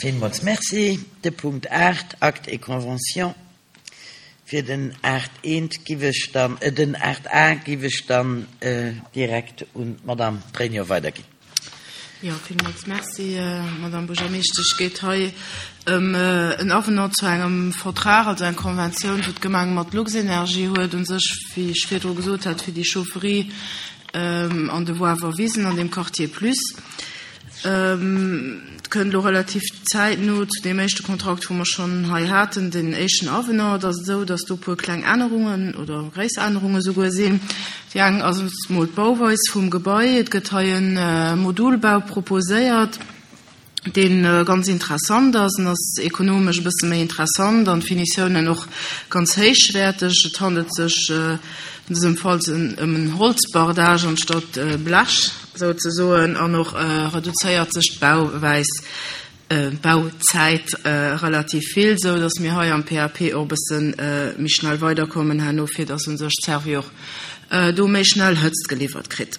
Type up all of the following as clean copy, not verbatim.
Villmools Merci. De Punkt 8, Actes et conventions. Fir den 8 eent giff ech dann, den 8 a giff ech dann direkt un d'Madame Pregno weiderginn. Jo, villmools Merci, Madame Buergermeeschtesch. Et geet hei ëm en Avenant zu engem Vertrag, also eng Konventioun, wou d'Gemeng mat Luxenergie huet, u sech, wéi ech virdru gesot hat, fir déi Chaufferie an de Woawer Wisen an dem Quartier Plus. Et kënnt elo relativ zäitno zu deem éischte Kontrakt, wou mer schonn hei haten, den éischten Avenant. Et ass esou, datt do e puer kleng Ännerungen oder gréisser Ännerunge souguer sinn. Déi eng ass emol d'Bauweis vum Gebai. Et gëtt hei e Modulbau proposéiert, dee ganz interessant ass. En ass ekonomesch e bësse méi interessant an d'Finitiounen och ganz héichwäerteg. Et handelt sech an dësem Fall ëm en Holzbardage anstatt Blech. Souzesoen, an och reduzéiert sech d'Bauwäis, d'Bauzäit relativ vill, sou datt mir hei am PAP och e bësse méi schnell weiderkommen herno, fir datt u sech d'Servi och do méi schnell Hëtzt geliwwert kritt.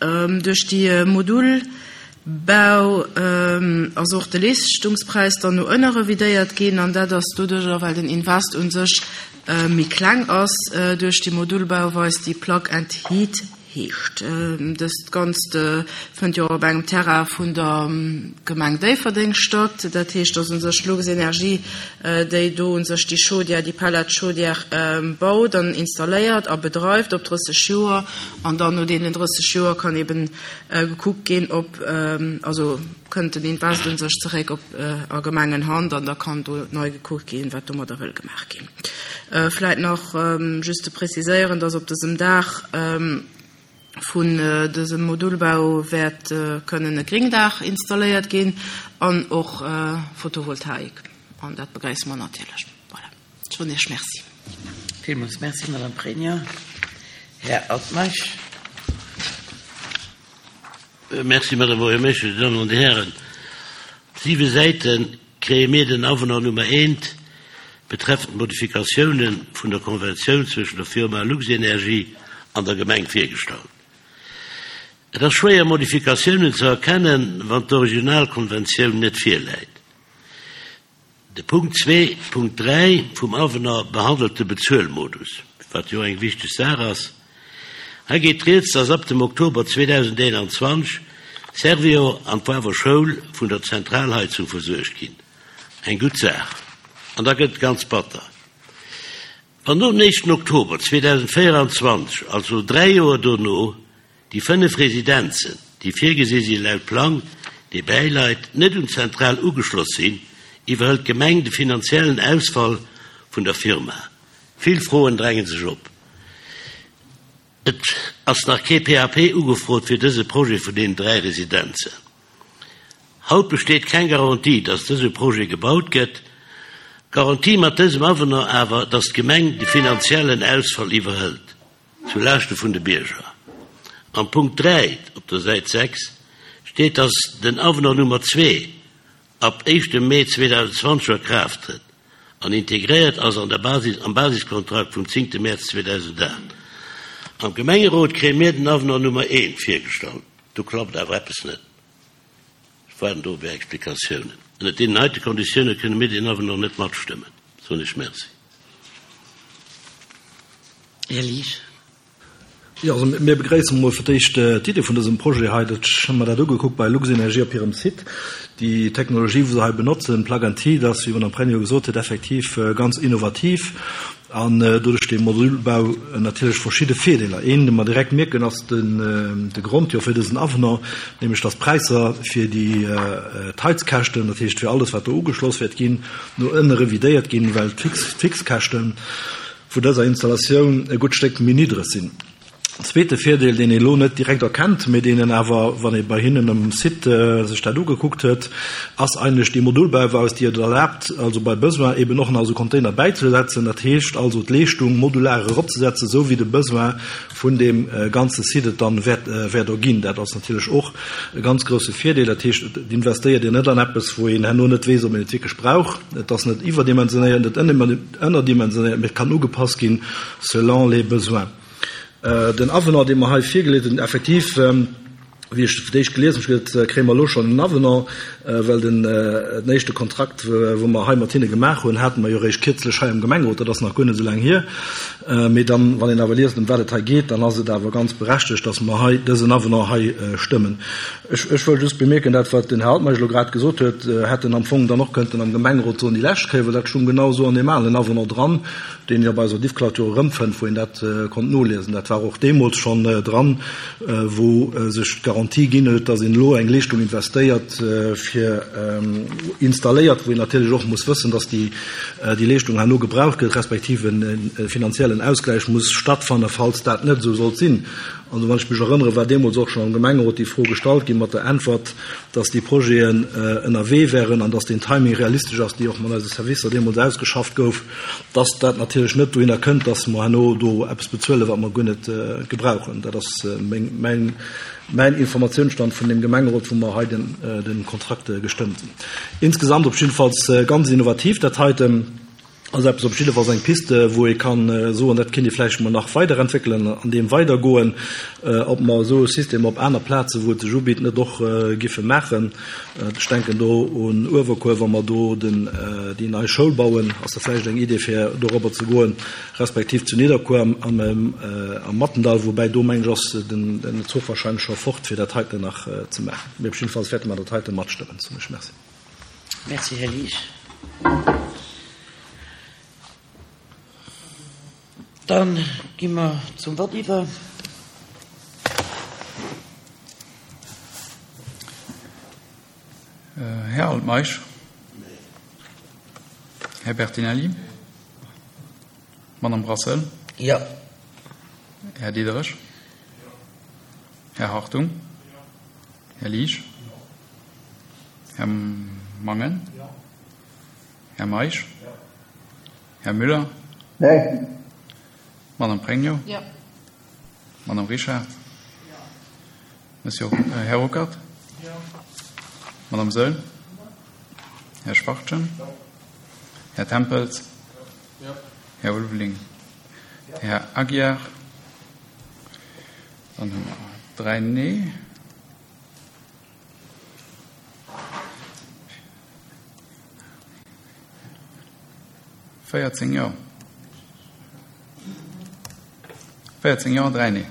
Duerch déi Modulbau ass och de Leeschtungspräis dann no ënne revidéiert ginn, an dat ass doduercher, well den Invest u sech méi kleng ass duerch déi Modulbauweis, déi Plug and Heat Heescht. Dëst Ganzt fënnt jo och op engem Terrain vun der Gemeng Déifferdeng statt. Dat heescht, dass u sech Luxenergie, déi do u sech déi Chaudière, déi Pellet-Chaudière baut an installéiert a bedreift op 30 Joer. An dann no deenen 30 Joer kann eben gekuckt ginn, ob, also kënnt den Invest u sech zeréck op a Gemengenhand an da kann do nei gekuckt ginn, wat domadder wëll gemaach ginn. Vläit nach just ze preziséieren, dass op dësem Daach vun dësem Modulbau wäert kënnen e Gringdaach installéiert ginn an och Photovoltaik. An dat begréisse mer natierlech. Voilà, ech soen Iech Merci. Villmools Merci, Madame Pregno. Här Altmeisch. Merci, Madame Buergermeeschtesch, Dir Dammen an Dir Hären. Siwe Säite kréie mir den Avenant Nummer eent betreffend d'Modifikatiounen vun der Konventioun zwëschen der Firma Luxenergie an der Gemeng virgestallt. Et ass schwéier Modifikatiounen ze erkennen, wann d'Originalkonventioun net virläit. De Punkt 2.3 vum Avenant behandelt de Bezuelmodus, wat jo eng wichteg Saach ass. Hei geet rieds, dass ab dem Oktober 2021 Servior an d'Wawer Schoul vun der Zentralheizung versuergt ginn. Eng gutt Saach. An da gëtt et ganz batter, wann nom éischten Oktober 2024, also dräi Joer dono, Déi 5 Residenzen, déi virgesi si laut Plang, dee bäileit, net un d'Zentral ugeschloss sinn, iwwerhëlt d'Gemeng de finanziellen Ausfall vun der Firma. Vill Froen dränge sech op. Et ass nach kee PAP ugefrot fir dëse Projet vun deenen 3 Residenzen. Haut besteet keng Garantie, dass dëse Projet gebaut gëtt. Garantie mat dësem Avenant awer, dass d'Gemeng de finanziellen Ausfall iwwerhëlt. Zu Laaschte vun de Bierger. Am Punkt 3 op der Säit 6 steet, dass den Avenant Nummer 2 ab éischtem Mee 2020 a Kraaft trëtt an integréiert ass an der Basis, am Basiskontrakt vum zéngte Mäerz 2008. Am Gemengerot kréie mir den Avenant Nummer 1 virgestallt. Do klappt awer eppes net. Ech waarden do op Är Explikatiounen. Ënnert deenen heite Konditioune kënne mir deen Avenant net matstëmmen. Soen ech Merci. Här Liesch. Jo, also mir begréissen emol fir d'éischt d'Idee vun dësem Projet hei. Dat, ech hu mer dat ugekuckt bei Luxenergie op hirem Site. Déi Technologie, wou se hei benotzen, Plug and Heat, ass, wéi d'Madame Pregno gesot huet, effektiv ganz innovativ an doduerch de Modulbau natierlech verschidde Virdeeler. Een, dee mer direkt mierken, ass de Grond jo fir dësen Avenant, nämlech dass d'Präisser fir déi d'Heizkäschten, dat heescht fir alles, wat do ugeschloss wäert ginn, no ënne revidéiert ginn, well d'Fixkäschte vu dëser Installatioun e gutt Stéck méi niddreg sinn. Zweete Virdeel, deen ee lo net direkt erkennt, mee deen een awer, wann ee bei hinnen um Site sech dat ugekuckt huet, ass eigentlech déi Modulbauweis, déi et erlaabt, also bei Besoin eben och nach esou Container bäizesetzen. Dat heescht also d'Leeschtung modular eropzesetzen, esou wéi de Besoin vun deem ganze Site et dann wäert erginn. Dat ass natierlech och e ganz grousse Virdeel. Dat heescht, et investéiert een net an eppes, wou een herno net weess, ob een et wierklech brauch. Et ass net iwwerdimensionéiert, net ënnerdimensionéiert, mee et kann ugepasst ginn selon les besoins. Den Avenant, dee mer hei virgeleet hunn, effektiv. Wéi ech fir d'éischt gelies hunn, hu ech gesot, kréie mer elo schonn en Avenant, well den éischte Kontrakt, wou mer hei mat hinne gemaach hunn, hate mer jo eréischt kierzlech hei am Gemengerot, dat ass nach guer net esou laang hier. Mee dann, wann een awer liest, ëm wat et hei geet, dann ass et awer ganz berechtegt, dass mer hei dësen Avenant hei stëmmen. Ech, ech wëll just bemierken, dat, wat den Här Altmeisch elo grad gesot huet, hätt en am Fong dann och kënnten am Gemengerot soen déi lescht Kéier, well dat stung genau esou an deem alen Avenant dran, deen een op eiser Diffklatur erëmfënnt, wou een dat konnt noliesen. Dat war och deemools schonn dran, wou sech d'Garantie ginn huet, dass een elo eng Leeschtung investéiert fir installéiert, wou een natierlech och muss wëssen, dass déi Leeschtung herno gebraucht gëtt, respektiv e finanziellen Ausgläich muss stattfannen, falls dat net esou sollt sinn. An wann ech mech erënnere, war deemools och schonn am Gemengerot déi Fro gestallt ginn, mat der Äntwert, dass déi Projeten ënnerwee wären an dass deen Timing realistesch ass, déi och mat eise Servicer deemools ausgeschafft gouf, dass dat natierlech net dohinner kënnt, dass mer herno do eppes bezuelen, wat mer guer net gebrauchen. Dat ass mäin Informatiounsstand vun deem Gemengerot, wou mer hei de Kontrakt gestëmmt hunn. Insgesamt op jiddefalls ganz innovativ dat heiten. Ass eppes op jiddefalls eng Piste, wou ee ka soen, dat kéint ee vläicht emol nach weiderentwéckelen, an deem weidergoen, ob mer esou e System op aner Plazen, wou et sech ubitt, net och giffe maachen. Ech denken do un Uewerkuer, wa mer do den, déi nei Schoul bauen, ass dat vläicht eng Idee fir dorobber ze goen, respektiv zu Nidderkuer am, am Mattendall, woubäi do mengen ech ass den, den Zuch wahrscheinlech scho fort, fir dat heiten nach ze maachen. Mee op jiddefalls wäerte mer dat heite matstëmmen, soen ech. Merci. Merci, Här Liesch. Dann gi mer zum Vott iwwer. Här Altmeisch. Här Bertinelli. Madame Brassel. Jo. Här Diderich. Här Hartung. Här Liesch. Här Mangen. Här Meisch. Här Müller. Nee. Madame Pregno. Jo. Madame Richard. Monsieur, äh, Här Ruckert. Jo. Madame Söll. Här Schwachtgen. Här Tempels. Här Ulveling. Här Aguiar. Dann hu mer 3 Nee. 14 Jo. 14 Jo, 3 Nee.